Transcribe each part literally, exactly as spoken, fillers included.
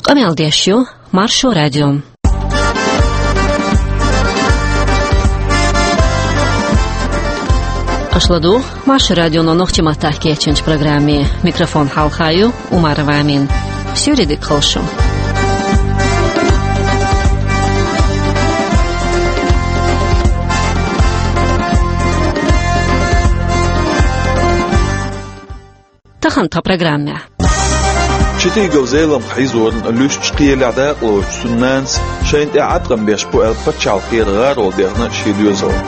Къамел деш ю Маршо радио. Аша ладугӀу Маршо радионо нохчийн маттахь кечйинчу программе. Микрофон хьалха ю Умарова Амина. Суьйре дика хуьлда шун. Тахана тхан программехь. Читигов Зеламха хьийзорна луьстачу кхелехь дакъалоцучу цуьнан нанас шайна тӀе Ӏаткъам беш бу аьлла пачхьалкхера гӀарол дехна шен доьзална.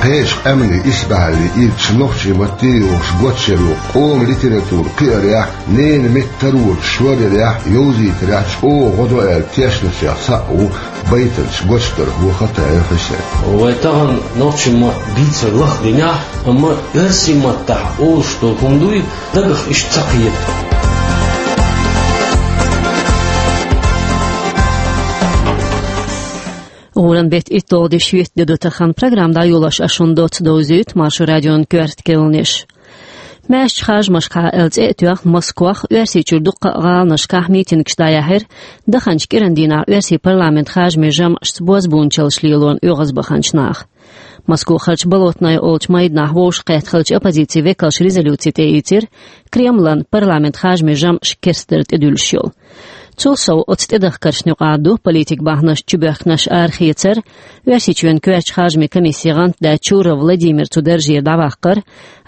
Кхечу къаьмнийн исбаьхьаллин ирча нохчийн матте а йохуш гочйина, къоман литература кхиарехь, ненан меттан тарволчу шоръярехь, йовзийтарехь чӀогӀа гӀо до аьлла тешначех цхьаъ ву байтанча гочдархо Хатаев Хьусен. Вай тахана нохчийн мотт дийцар лахдинехь, амма оьрсийн маттахь олуш долу хӀума дуй, дагах иштта ца кхета. ГӀуран беттан итт долу де шоьтан де ду тахана. Программа дӀайолош ас шуна доцца довзуьйту Маршо радион коьрта кхаьънаш. Маьршачу харжамашкахь аьлла цӀе а тоьхна, Москвахь, Оьрсийчуьра дуккха а гӀаланашкахь митингаш дӀаяьхьира, даханчу кӀиран дийнахь оьрсийн парламентан харжамийн жамӀашца бозбуунчаллаш лелорна оьгӀазбаханчу наха. Москвахарчу Болотное олучу майданахь вовшахкхетта хиллачу оппозицин векалша резолюци тӀеийцира, Кремлан парламентан харжамийн жамӀаш керстдар тӀедуьллуш йолу. Цул сов оцу тӀедахкаршна юкъахь ду политикан бахьанаш чубоьхкинарш арахецар, Оьрсийчоьнан коьртачу харжамийн комиссин гӀантдаьтта Чуров Владимир цу даржера дӀаваккхар,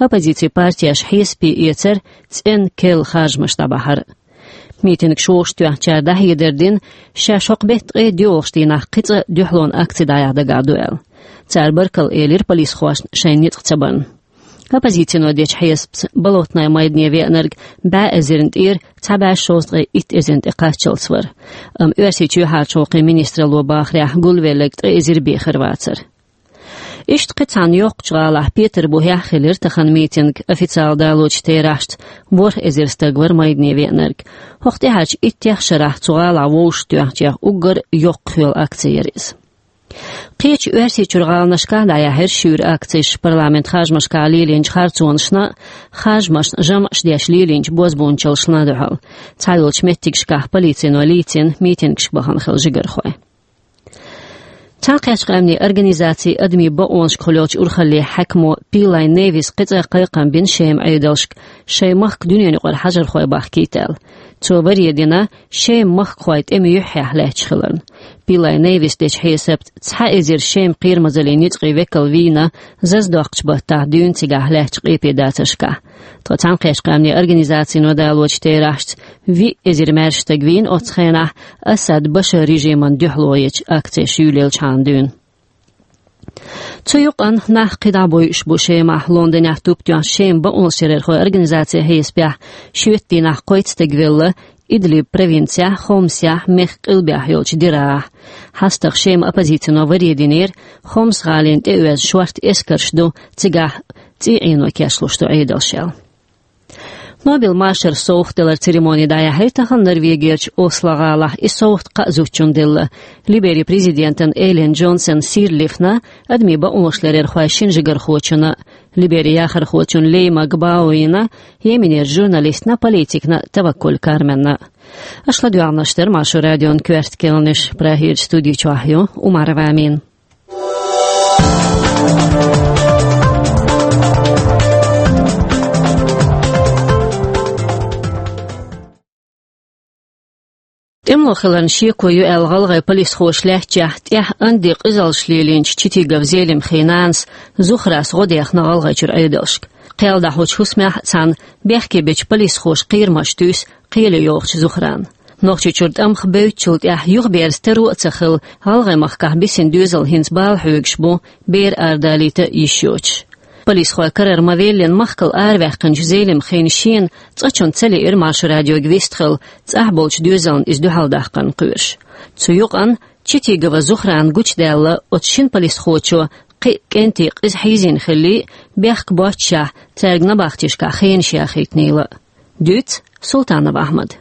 оппозицин партеш хьесапе эцар, цӀена керла харжамаш дӀабахьар. Митингаш вовшахтоьхначара дӀахьедар дина, шаьш хӀокху беттан ткъе доьалгӀачу дийнахь кхин цкъа дуьхьалонан акци дӀаяхьа дагахь ду аьлла. Цара баркалла элира полисхошна шайн ницкъ ца барна. Оппозицино дечу хьесапца, Болотное майдане веанарг бӀе эзарна тӀера цхьа бӀе шовзткъе итт эзарна тӀе кхаччалц вара. Амма Оьрсийчоьнан юьхьӀаьржачу гӀуллакхийн министралло бахарехь, гулвелларг ткъе эзар бехар вацара. Иштта кхин цхьана йоккхачу гӀалахь Петарбухехь а хилира тахана митинг. Официалан далочу терахьашца ворхӀ эзар стаг вара майдане веанарг. ХӀокху тӀаьхьарчу иттех шарахь цу гӀалахь вовшахтоьхначех уггар йоккхах йолу акци яра иза. Кхечу Оьрсийчуьра гӀаланашкахь дӀаяьхьира шуьйра акцеш парламентан харжамашкахь лелийначу харцонашна а, харжамашна жамӀаш деш лелийначу бозбуунчаллашна а дуьхьал. Цхьайолчу меттигашкахь полицино лийцина митингашка бахана хилла жигархой. Цхьаьнакхеттачу къаьмнийн организацин адамийн бакъонашкахула йолчу урхаллин хьаькамо Пилай Невис кхин цкъа кхайкхам бина Шеман Ӏедалшка, шайн махка дуьненаюкъара хьажархой бахкийта аьлла. Цо варе дина, Шеман махкахой тӀеман юьххьехь лаьтташ хиларна. Пилай Невис дечу хьесапца, цхьа эзар Шеман кхерамазаллин ницкъийн векал вийна, зазадоккхучу баттахь дуьйна цигахь лаьттачу къепедацаршкахь. Ткъа Цхьаьнакхеттачу къаьмнийн организацино далочу терахьашца, виъ эзар маьрша стаг вийна оццу хенахь Асад Башар режимана дуьхьало ечу акцеш юьйлаеллачхьана дуьйна. Цу юкъанна нах кхидӀа бойуш бу Шемахь. Лондонехь туп тоьхначу Шеман бакъонашларъярхойн организацин хьесапехь, шоьтан дийнахь кхойтта стаг велла Идлиб провинцехь, Хомсехь, мехкан къилбехь йолчу Дирахьахь. ХьастагӀа Шеман оппозицино варе динера, Хомс гӀалина тӀеоьзна шортта эскарш ду, цигахь цӀий Ӏено кечлуш ду Ӏедалш аьлла. Нобелан машаран совгӀат даларан церемони дӀаяьхьира тахана Норвегерчу Осло-гӀалахь. И совгӀат кхаа зудчунна делла: Либерин президентана Эллен Джонсон Сирлифна, адамийн бакъонашларъярхойн шина жигархочунна, Либерин яхархочунна Лейма Гбауина, Йеменерчу журналистна, политикна Таваккуль Карменна. Аша ладоьгӀнарш дара Маршо радион коьрта кхаьънаш. Прагерчу студи чохь ю Умарова Амина. ТӀемало хиларна шеко ю аьлла гӀалгӀайн полисхоша лаьттачехь, тӀехь анди къизаллаш лелийначу Читигов Зелимхин нанас Зухрас гӀо дехна ГӀалгӀайчуьра Ӏедалшка. Кхел дӀахьочу хӀусамехь а цхьана бехке бечу полисхоша кхерамаш туьйсу кхеле йогӀучу Зухрана. Нохчийчуьра тӀамах бевддачул тӀаьхьа юхаберза таро а ца хилла, гӀалгӀайн махкахь бисина доьзал хӀинца бала хьоьгуш бу, бер арадалийта йиш йоцуш. Полисхойн карара ма-веллина, махкал араваьккхинчу Зелимхина шена цкъачунна ца лиира Маршо радиога вистхила, цӀахь болчу доьзална иза дуьхьал дахарна кхоьруш. Цу юкъанна Читигова Зухрана гучудаьлла, оцу шина полисхочо кхин а кӀентий къиза хьийзийна хиллий, бехк боццушехь, цаьрга набахтешкахь хенаш яхийтинийла. Дуьйцу Султанов Ахьмада.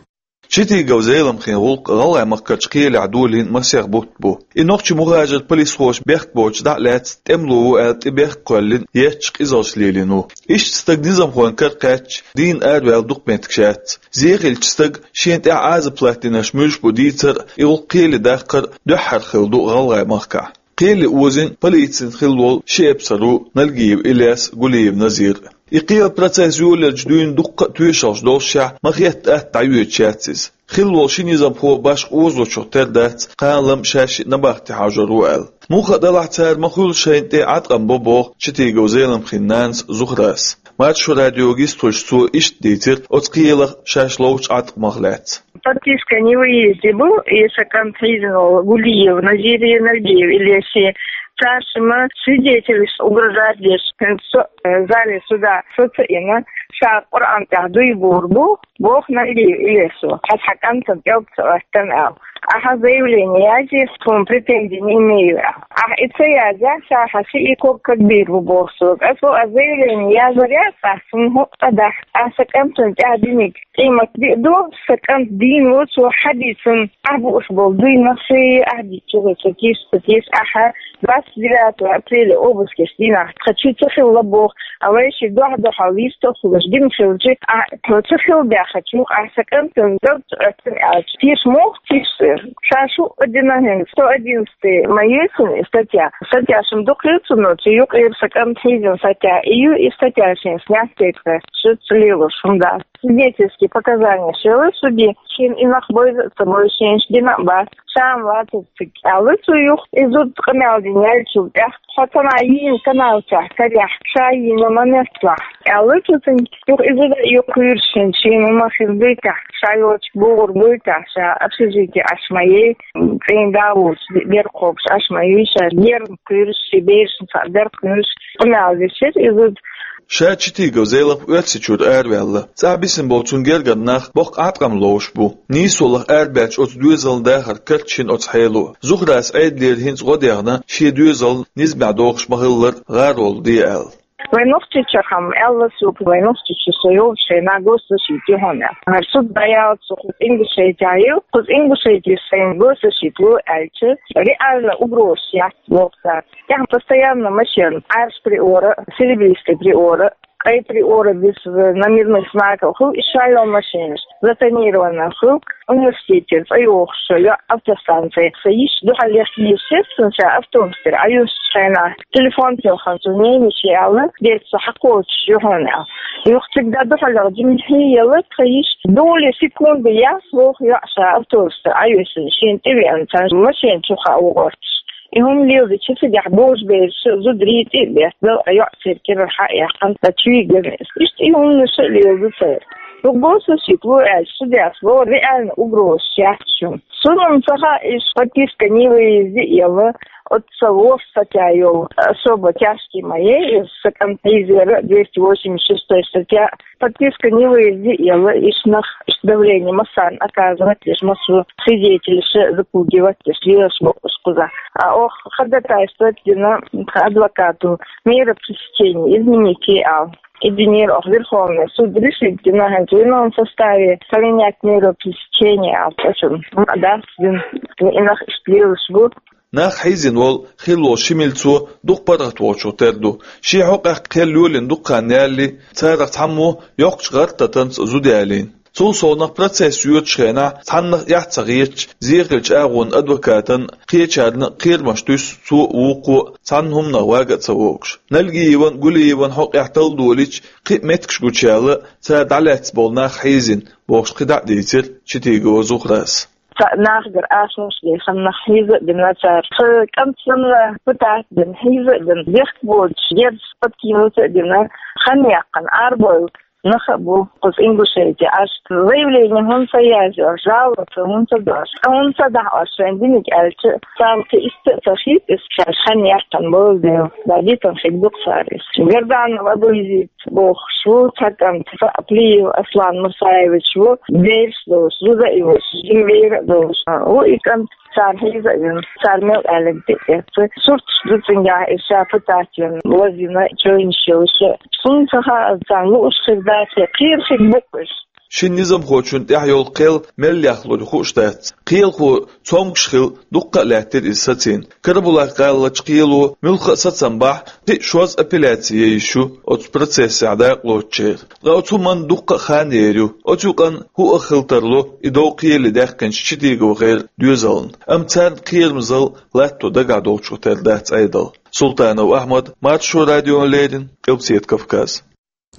Читигов Зеламхин гӀуллакх ГӀалгӀай махкарчу кхелехь долийна масех бутт бу. И нохчийн мухӀажар полисхоша бехк боцуш дӀа а лаьцна, тӀемало ву аьлла, тӀе бехк кхоьллина, етташ къизаллаш лелийна ву. Иштта стаг низамхойн кара кхаьчча, дийна араваьлла дукха меттигаш яц. Зе хилча стага шена тӀехь Ӏазап латтийнарш муьлш бу дийцар а, и гӀуллакх кхеле даккхар а дуьххьара хилла ду ГӀалгӀай махкахь. Кхеле озийна полицина хилла волу ши эпсар ву Нальгиев Ильяс, Гулиев Назир. И кхелан процесс йолаелча дуьйна дуккха а тоьшаллаш доллушехь, ма-хетта атта дӀайоьдуш яц иза. Хилла волу ши низамхо башха озалучух тера дац, кхана-лама шаьш а набахте хьажор ву аьлла. Муха а делахь, цара ма-хуьллу шайна тӀе Ӏаткъам бо боху Читигов Зеламхин нанас Зухрас. Маршо радиога йистхуьлуш цо иштта дийцира оцу кхелах шаьш ловчу Ӏаткъамах лаьцна. Подписка о невыезде бу, и сан кӀант хьийзина волу Гулиев Назир, Нальгиев Ильяс. Цара шимма свидетелаш угрожать деш, хӀинца со, э, зале суда со ца йина, ша Къуръан тӀехь дуй бохур бу, боху Нальгиев Ильясо. Хьан кӀантана кӀелб ца оьттина аьлла. Ахьа заявление язе, тхуна претензи не имею аьлла. Ахьа и ца язъяхь, ша хьан шиъ и ког кагбийр бу боху сога. Аса боху, аса заявление язъяр яц ахь, суна хӀуъа а дахь, ахьа сан кӀантана тӀехь диниг къемат биъ ду, сан кӀант дийна ву, цо хьадийцина, ахь бууш болу дуйнах ши ахь дийцча, ца кийча, ца кийча, ахьа двадцать девятого апреля обыскаш дийнахь тхан чу ца хилла боху, а вай ши дуьхь-дуьхьал йистехула дина хилча, ахь тхо ца хилла баьхначух, ахь сан кӀантана кӀелб ца оьттина аьлча, теша муха теша? Ша шу а дина хӀинца, сто одиннадцатый ма ю цуьнан и статья. Статья шимма дукха ю цуьнан, цу юкъера сан кӀант хьийзина статья, и ю и статья шен снять дайта, шу ца лелош хӀума дац. Свидетельские показания елла судье, шена и нах бойза а ца бойза, шена дина а бац, ша-м вацара цига, аьлла цо юха. И зуда къамел дина яьллачул тӀаьхьа, хьо цхьана йийна каналчохь карехь, ша йийна ма метталахь, аьлла цо цуьнга. Юха и зуда а юха кхуьйруш хӀинца, шена ма хир дуьйтахь, ша йолчу богӀур буйтахь, ша общежитие Ӏаш ма ей, цӀийнан да волчу дер кхобуш Ӏаш ма юй ша, герга кхуьйруш, шен берашна цхьаъ дер кхуьйруш, къамел дешира и зуда. Ша Читигов Зелам Оьрсийчуьра араваьлла. ЦӀахь бисина болу цуьнан гергара нах боккха Ӏаткъам ловш бу. Нийсолах арабаьллачу оцу доьзална дахар карчийна оцу хьело. Зухрас Ӏедалера хӀинца гӀо дехна, шен доьзал низамехь дохуш ма-хиллара гӀаролла де аьлла. Вайн Нохчийчохь-м аьлла соьга, вайн Нохчийчу со йолчу хенахь госзащита ю хьуна аьлла. ХӀара суд дӀаяьлла, со кхуза Ингушетехь ю, кхуза Ингушетехь сайна госзащита ло аьлча, реально угрозаш яц боху цара. Тахана постоянно машен Ӏаьржа Приора, Серебристый Приора, Къай Приора, бисса на мирных знаках хуьлу и шолгӀа машенаш, затонированный хуьлу, университетера цӀа йохуш йоӀ автостанцехь. Сан йиша дуьхьал лехкина йиш яц суна, ша автобус тӀера Ӏаюьсучу хенахь, телефон телхина цу ненан йиша аьлла, дерг со хьакхочуш ю хьуна аьлла. Юха цига дан дуьхьал жимма хьийза елла тхан йиша, доли секунды яц боху йоӀ, ша автобус тӀера Ӏаюьсуш, шена тӀевеана цхьана машен чу хаа ву гӀорташ. И хӀума леладича цигахь божабераш а, зударий а тӀе а беттина, йоӀ церан кӀирара хьа а яьккхина, ткъа чу вигна иза. Иштта и хӀуманаш а леладо цара. Юха госзащита ло аьлча, судьяс боху, реально угрозаш яц шуна. Суна-м ца хаьа, иштта подписка о невыезде елла, оццул воккха статья йолу, особо тяжкий ма ю иза, сан кӀант хьийзара, двести восемьдесят шестой статья, подписка о невыезде елла, иштта нах, иштта давление массарна оказывать деш, массо а свидетелаш запугивать деш, лелаш бу уьш кхузахь. А оха ходатайство дина тхан адвокато, мера пресечения изменить е аьлла. И динера оха Верховный суд решить дина, хӀинца в ином составе поменять меру пресечения аьлла, цкъачунна. Ма дац дина, и нах иштта лелаш бу. Нах хьийзина волу хилла волу ши милцо дукха паргӀатволчух тера ду. Шен хьокъехь кхел йолийна дукха хан ялале, царах цхьаммо йоккхачу гӀар-татамца зуда ялийна. Цул совнаха процесс йоьдучу хенахь цхьаннах эхь ца хеташ, зе хиллачу агӀонан адвокатан, кхечарна кхерамаш туьсу цо а, вукхо а, цхьана хӀуманах вага а ца вогуш. Нальгиеван, Гулиеван хьокъехь талдолийча, кхин а меттигаш гучуяьлла, цара дӀалаьцна болу нах хьийзина, бохуш кхидӀа а дийцира Читигова Зухрас. Цхьа нахагара ахчанаш дехна, нах хьийза а бина цара. Сан кӀант санна пытать а бина, хьийза а бина, бехк боцуш, герз подкинуть а бина, хан яьккхина, арабевлла нах а бу кхуза Ингушетехь. Аш заявление хӀунда ца язйо, жалоба хӀунда ца до аш, хӀунда ца дахьа аш шайн диниг аьлча, царна кхин иштта а ца хета иза, шаьш хан яьккхина болу дела, дӀадитина хир ду-кх цара иза. Гарданов Абуйзит бохуш ву цхьа кӀант, Плиев Аслан Мусаевич ву, бераш долуш, зуда а йолуш, жима бер а долуш ву и кӀант, цара хьийза а вина, цара мел аьлларг тӀе а эцна. Сурташ ду цуьнгахь, иза ша пытать вина, лазийна, чевнаш йолуш. Суна ца хаьа, царна лууш хир дац, кхера хир бу-кх уьш. Шин низамхочун тӀехь йолу кхел мел яхлур хууш дац. Кхелахо цомгуш хилла дуккха а лаьттира иза сацийна. Карабулак-гӀаларчу кхело муьлхха а сацам бахь, кхин а шозза апелляци ян йиш ю оцу процессехь дакъалоцучеран. Ткъа оцу хӀуманна дуккха а хан ер ю. Оцу юкъанна хӀуъа хила тарло и дов кхеле даьккхинчу ЧитиговгӀеран доьзална. Амма царна кхерамзалла латто дагахь долчух тера дац Ӏедал. Султанов Ахьмад, Маршо радиона леррина, Къилбаседа Кавказ.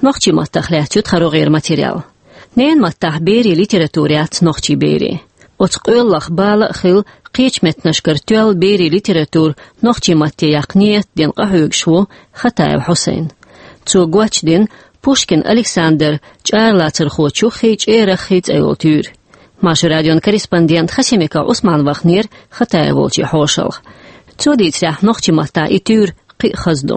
Нохчийн маттах лаьцна ю тхан рогӀера материал. Ненан маттахь берийн литература яц нохчийн берийн. Оцу къоьллах бала а хилла, кхечу меттанашкара тоьлла берийн литература нохчийн матте яккха нийят дина къахьоьгуш ву Хатаев Хьусайн. Цо гочдина Пушкин Александр чӀаралацархочун чуххий, чӀераххий цӀе йолу туьйра. Маршо радион корреспондент Хасимиков Ӏусман вахнера Хатаев волчу хьошалгӀа. Цо дийцарехь, нохчийн маттахь и туьйра кхин а хаза ду.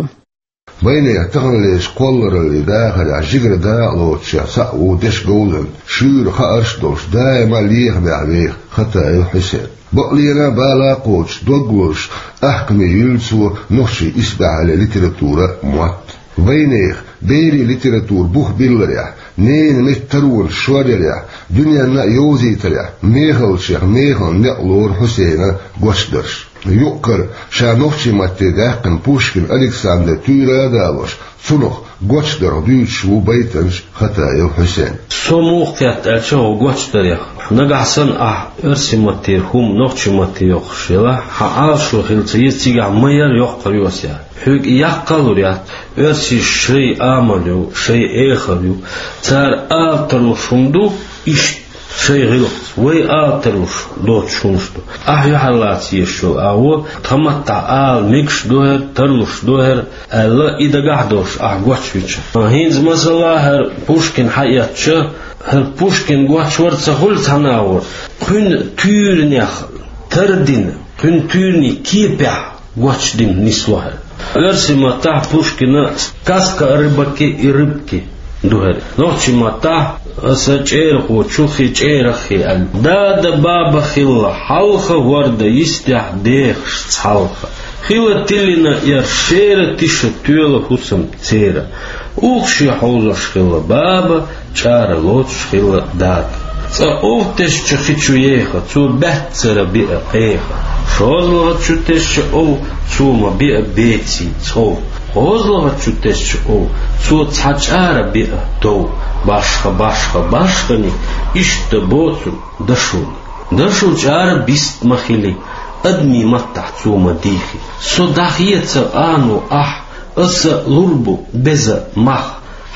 Вайнехан таханлерчу кхоллараллин дахарехь жигара дакъалоцуш цхьаъ ву дешан говзанча, шуьйра хаарш а долуш, даима а лехамехь веха Хатаев Хьусен. Бакълена а, бала а кхочуш, дог лозуш, ахкаме юьллу цо нохчийн исбаьхьаллин литературан мотт. Вайнехан берийн литература бух билларехь, ненан меттан таронаш шоръярехь, дуьненна а йовзийтарехь мехаллачех мехала некъ лору Хьусейнан гочдарш. Юккъера ша нохчийн матте даьккхина Пушкин Александр туьйра а далош, цунах гочдарх дуьйцуш ву байтанча Хатаев Хьусен. Со муха кхетта аьлча хӀокху гочдарех? Нагахь санна ахь оьрсийн маттера хӀума нохчийн матте йоккхуш елахь, хьан Ӏалашо хилла ца еза, цигахь ма яра йоккхур ю ас яхь. Хьоьга и яккха а лур яц, оьрсийн шайн амал ю, шайн эхар ю. Цара ала тарлуш хӀума ду, иштта шайн гӀиллакхца, вай ала тарлуш доцуш хӀумнаш ду. Ахь юьхьарлаца езаш йолу агӀо, тхан маттахь ала мегаш ду хӀара, тарлуш ду хӀара аьлла, и дагахь долуш ахь гочвича. ХӀинца, масала, хӀара Пушкин хьаэцча, хӀара Пушкин гочвар ца хуьлу цхьана агӀор, кхуьнан туьйранех тардина, кхуьнан туьйранийн кепехь гочдина нисло хӀара. Оьрсийн маттахь Пушкина «Сказка о рыбаке и рыбке» ду хӀара. Нохчийн маттахь «Аса чӀерахочун чуххий, чӀераххий» аьлла. Дада-баба хилла хьалха, ворда йистехь дехаш цхьалха. Хила тиллина эр шера, тиша тоьла хӀусам церан. Ух шен хьовзош хилла баба, чӀара лоцуш хилла дада. Цкъа ов тесча хи чу еха, цо баьццара биа кхеха. ШозлагӀа чу тесча ов, цо ма биа беций цӀов. КхозлагӀа чу тесча ов, цо цхьа чӀара биа тов. Башха, башха, башханиг, иштта боцург дашуна. Дашо чӀара бист ма хили, адамийн маттахь цо ма дийхи. Со дӀахеца къано ахь, аса лур бу беза мах.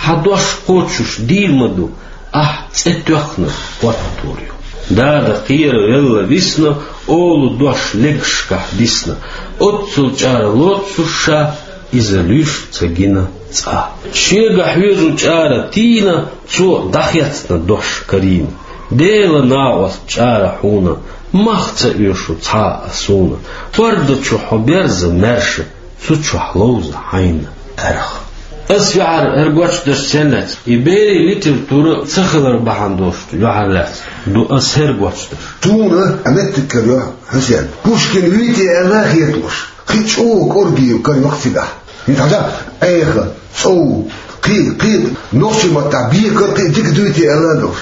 Хьан дош кхочуш дийр ма ду, ахь цӀе тоьхна хӀоттор ю. Дада кхеравелла висна, олу дош легашкахь дисна. Оццул чӀара лоцуш ша, иза луьйш ца гина цкъа. Шега хьоьжу чӀара тийна, цо дӀахецна дош карийна. Делан накъост чӀара хьуна, мах ца оьшу цхьа а суна. Ворда чу хьо берза маьрша, цу чохь ловза хьайна аьрха. Ас веара хӀара гочдарш сеннац, и берийн литература ца хилар бахьана долуш ду, юьхьарлаьцна ду ас хӀара гочдарш. Суна а меттиг карайо, Хьусен. Пушкин вуьйти аьлла а хеталуш, кхин чӀогӀа кӀорггера карайо-кх цигахь. ХӀинца хьажа, Ӏеха, цӀов, кхин, кхин, нохчийн маттахь бекар кхин дика дуьйти аьлла а долуш.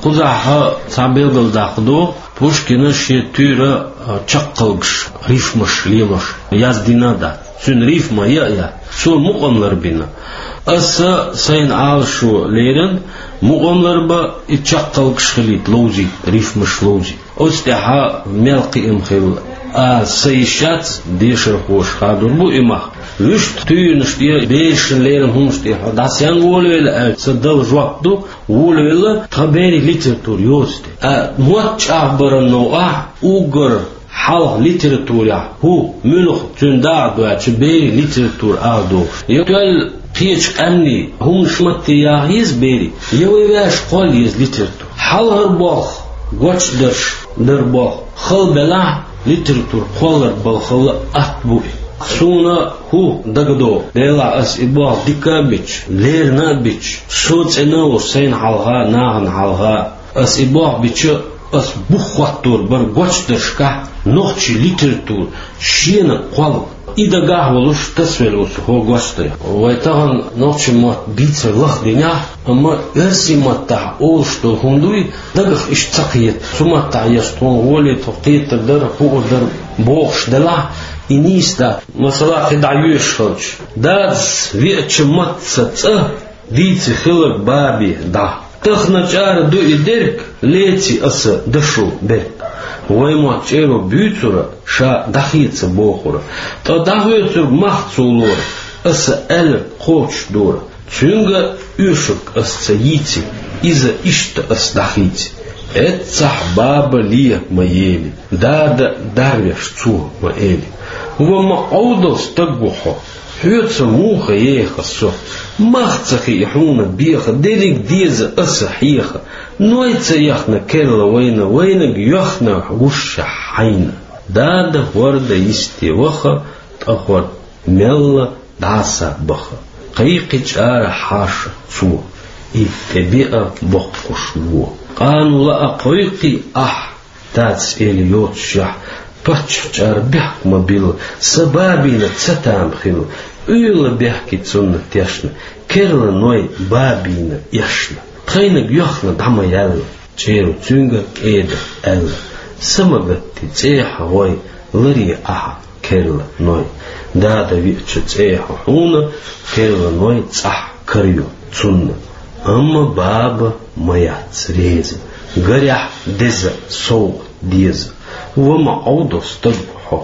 Кхузахь цхьа белгалдаккха ду, Пушкина шен туьйра а, чаккхалгаш, рифмаш лелош яздина а дац. Цуьнан рифма я а яц. Цо мукъам ларбина. Аса сайна Ӏалашо лерина, мукъам ларба, и чаккхалгаш хилийта ловзийта, рифмаш ловзийта. Оцу тӀехь мел кхиам хилла ала са йиш яц, дешархоша хадур бу и мах. Вуьшта туьйранаш тӀе, берашна лерина хӀуманаш тӀе хьо дӀасаян волавелла аьлча, сан дала жоп ду, волавелла, тхан берийн литература йоцу тӀе. А мотт чӀагӀбаран новкъахь уггар хьалха литературехь хӀу, муьлха цуьнан дакъа доьлча берийн литература ала догӀуш. Я тоьлла кхечу къаьмнийн хӀуманаш матте яха еза берийн, я вай ваьш кхолла еза литература. Хьалхара болх, гочдарш дар болх хала белахь, литература кхоллар балхалла атта бу и. Суна хӀу дагадогӀу, делахь ас и болх дика а бича, лерина а бича, со цӀена а волуш сайна хьалха, нахана хьалха, ас и болх бича, ас бух хӀоттор бара гочдаршкахь нохчийн литература шена кхолла И дагахь волуш тасавелла ву со хӀокху гочдарехь. Вай тахана нохчийн мотт бийцар лахдинехь, амма оьрсийн маттахь олуш долу хӀума дуй, дагах иштта ца кхета. Цу маттахь еш тхуна гӀоле тхо кхетар дара, хуур дара бохуш делахь, и нийса дац. Масала, кхин дӀа йоьшуш хилча, дадас веача матца цӀа дийци хиларг бабе дӀа. Тахана чӀара ду и дерг, леци аса дашо берг. Вай мотт чӀеро буьйцура, ша дӀахеца бохура. Ткъа дӀахоьцург мах цо лора, аса аьлларг кхочушдора. Цуьнга оьшург аса ца йийци, иза иштта аса дӀахийци. Эццахь баба ле ма ели, дада дарвеш цо ма эли. Ва ма Ӏовдал стаг ву хьо, хьоьца муха еха со? Мах ца хии хьуна беха, дерриг деза аса хьеха. Ной ца яхна керла вайна, вайнаг йоьхна гуш хьайна. Дада хӀорда йисте ваха, ткъа хӀорда мелла дӀаса баха. Кхайкхи чӀара хьаша цо, и тӀе беа боккхуш во. Къану лаа кхойкхий ахь, дадас эли йоцушехь, паччахь чӀара бехк ма билла, сан бабина ца там хилла, Ӏуьйла бехке цунна тешна, керла Ной бабина эшна. Тхайнаг йоьхна дӀа ма яьлла, чӀеро цуьнга кӀеда аьлла. Са ма гатти цӀехьа гӀой, ларе ахьа керла Ной. Дада веача цӀехьа хьуна, керла Ной цӀахь карайо цунна. Амма баба ма яц реза, гарехь деза совгӀат деза. Ва ма Ӏовдал стаг ву хьо,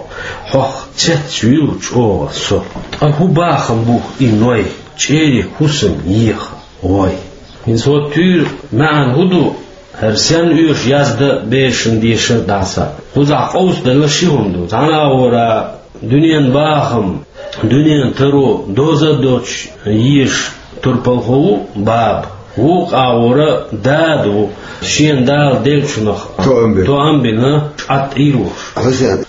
хьох цецвуьйлу чӀогӀа со. Ткъа хӀун бахам бу и Ной, чӀерий хӀусам еха гӀой? ХӀинца хӀокху туьйра маьӀна хӀун ду? ХӀара сенна оьшу язда берашна дешар дӀаса? Кхузахь къовсаделла ши хӀума ду. Цхьана агӀора дуьненан бахам, дуьненан таро доза а доцуш езаш турпалхо ву баба. Вукху агӀора дада ву, шена Дала деллачунах тоам бина, тоам бина, чӀатӀийр волуш. Хьусен,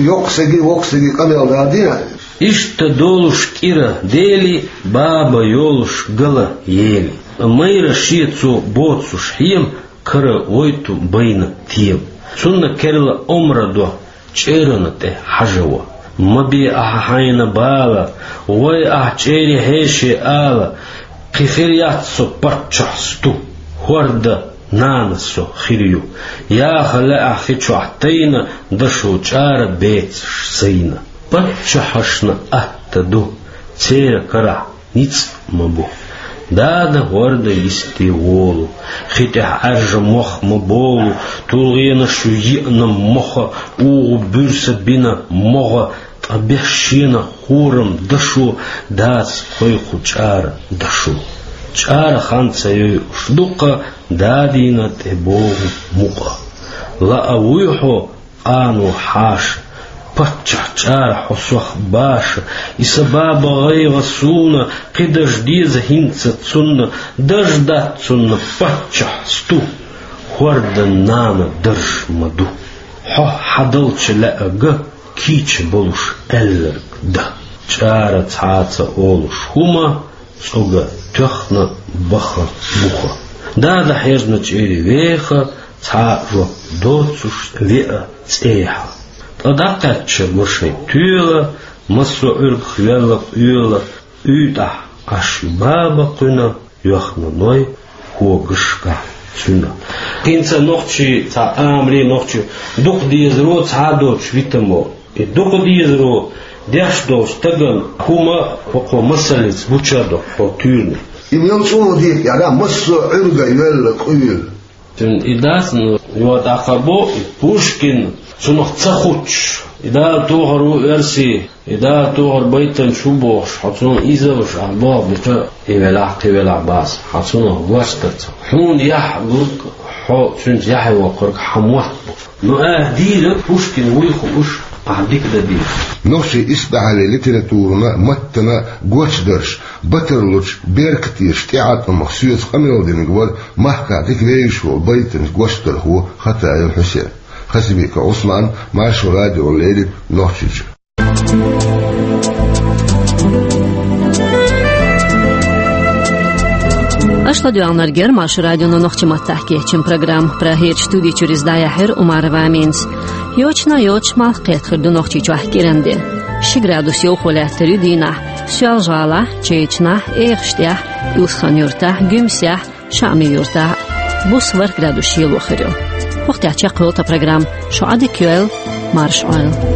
йоккха стаге, воккха стаге къамел дала дина? Иштта долуш кӀира дели, баба йолуш гала ели. Майра шен цо боцуш хьема, кара войту байна тема. Цунна керла омра до, чӀерана тӀе хьажаво. Ма бе ахьа хьайна бала, вай ахь чӀерий хьеше ала, кхин хир яц со паччахь сту, хӀорда нана со хир ю. Яха лаьа хи чохь тайна, дашо чӀара бецаш сайна. Паччахьашна атта ду, церан карахь ницкъ ма бу. Дада хӀорда йисте волу, хи тӀехь Ӏаьржа мох ма болу, тулгӀенаш ю йиъна моха, угӀу буьрса бина могӀа, ткъа беш шена хӀорам дашо, дадас кхойкху чӀара дашо. ЧӀара хан ца йойуш дукха, дадийна тӀе богӀу мукъа. Лаа вуй хьо, къано хьаша, паччахь чӀара хьо сох баша, и сан баба гӀайгӀа суна, кхидаш деза хӀинца цунна, даж дац цунна паччахь сту, хӀордан нана дарж ма ду. Хьо хьадалча лаьа га, кийча болуш аьлларг дан. ЧӀара цхьаца олуш хӀума, цӀога тоьхна баха буха. Дада хьежна чӀери веха, цхьа а жоп доцуш веа цӀехьа. Ткъа дӀакхаьчча гур шайн тоьла, массо а Ӏуьргах йоьлла къоьла, уьйтӀахь Ӏаш ю баба кхуьнан, йоьхна Ной когашкахь цуьнан. ХӀинца нохчий цхьа амри, нохчий дукха дезаро цхьа а доцуш витамо. И дукха дезаро деш долу стагана хӀума хӀокхо масаллица гуча а до хьо туьйрна. И мел чӀогӀа дийца яра массо а Ӏуьрга йоьлла къуьйла. Цуьнан и дац, ну, йо, тӀаккха бо, и Пушкин, цунах ца хуччуш, и Дала тохар ву оьрсий, и Дала тохар байтанча ву бохуш, хьо цунах изалуш, ахь боху, битта и велахь, кхин велахь бац, хьо цунах гочдарца. Хьуна яхь гург, хьо цуьнца яхье воккхург хьан мотт бу. Ну, а, дийра Пушкин вуй хууш, ахь дика дан дийра. Нохчий исбаьхьаллин литературана, маттана гочдарш, батарлучу беркатеша тӀеӀаткъамах соьца къамел динарг вара махкахь дика вевзаш волу байтанца гочдархо Хатаев Хьусен. Хасимиков Ӏусман, Маршо радиона леррина Нохчийчуьра. Аша ладоьгӀнарг яра Маршо радион нохчийн маттахь кечйина программа. Прагерчу студи чуьра иза дӀаяьхьира Умарова Аминас. Йочана йоцуш малх кхетар ду Нохчийчохь кӀиран де. Ши градус йовхо лаьттар ю дийнахьа Соьлжа-ГӀалахь, Чечнахь, Эхаштехь, Илсхан-Юртахь, Гуьмсехь, Шаьми-Юртахь. Буса ворхӀ градус ело хир ю. ХӀокху тӀехь чекхйолу тхан программа. Шу Ӏадика йойла, марша Ӏойла.